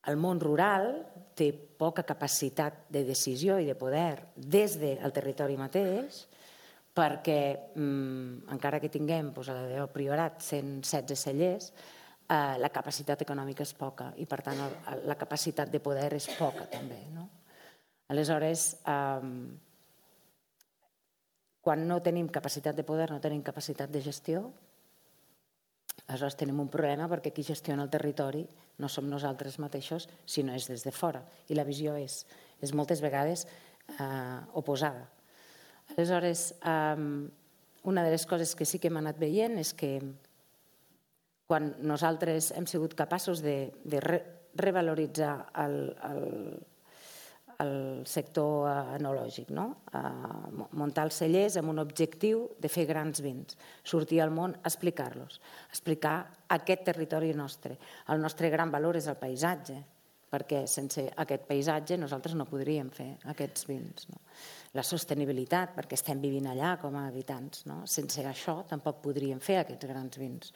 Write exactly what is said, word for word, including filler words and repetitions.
El món rural té poca capacitat de decisió i de poder des del territori mateix, perquè encara que tinguem a la del Priorat cent setze cellers, la capacitat econòmica és poca i, per tant, la capacitat de poder és poca també. Aleshores, quan no tenim capacitat de poder, no tenim capacitat de gestió, aleshores tenim un problema perquè qui gestiona el territori no som nosaltres mateixos, sinó és des de fora. I la visió és moltes vegades oposada. Aleshores, una de les coses que sí que hem anat veient és que quan nosaltres hem sigut capaços de revaloritzar el sector enològic, muntar els cellers amb un objectiu de fer grans vins, sortir al món a explicar-los, explicar aquest territori nostre. El nostre gran valor és el paisatge, perquè sense aquest paisatge nosaltres no podríem fer aquests vins. La sostenibilitat, perquè estem vivint allà com a habitants. Sense això tampoc podríem fer aquests grans vins.